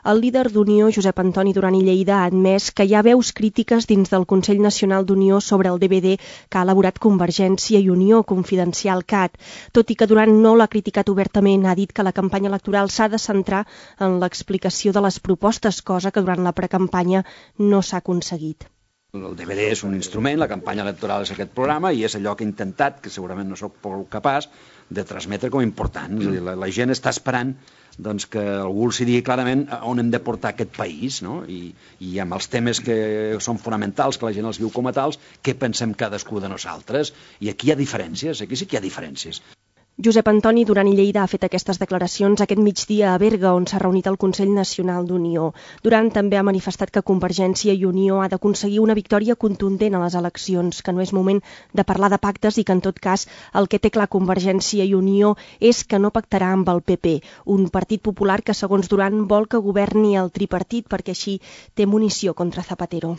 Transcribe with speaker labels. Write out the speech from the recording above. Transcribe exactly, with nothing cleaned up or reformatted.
Speaker 1: El líder d'Unió, Josep Antoni Duran i Lleida, ha admès que hi ha veus crítiques dins del Consell Nacional d'Unió sobre el D V D que ha elaborat Convergència i Unió, Confidencial Cat. Tot i que Duran no l'ha criticat obertament, ha dit que la campanya electoral s'ha de centrar en l'explicació de les propostes, cosa que durant la precampanya no s'ha aconseguit.
Speaker 2: El D V D és un instrument, la campanya electoral és aquest programa i és allò que he intentat, que segurament no sóc prou capaç, de transmetre com a important. És a dir, la, la gent està esperant doncs, que algú els digui clarament on hem de portar aquest país, no? I, i amb els temes que són fonamentals, que la gent els viu com a tals, què pensem cadascú de nosaltres? I aquí hi ha diferències, aquí sí que hi ha diferències.
Speaker 1: Josep Antoni Duran i Lleida ha fet aquestes declaracions aquest migdia a Berga, on s'ha reunit el Consell Nacional d'Unió. Duran també ha manifestat que Convergència i Unió ha d'aconseguir una victòria contundent a les eleccions, que no és moment de parlar de pactes i que, en tot cas, el que té clar Convergència i Unió és que no pactarà amb el P P, un partit popular que, segons Duran, vol que governi el tripartit perquè així té munició contra Zapatero.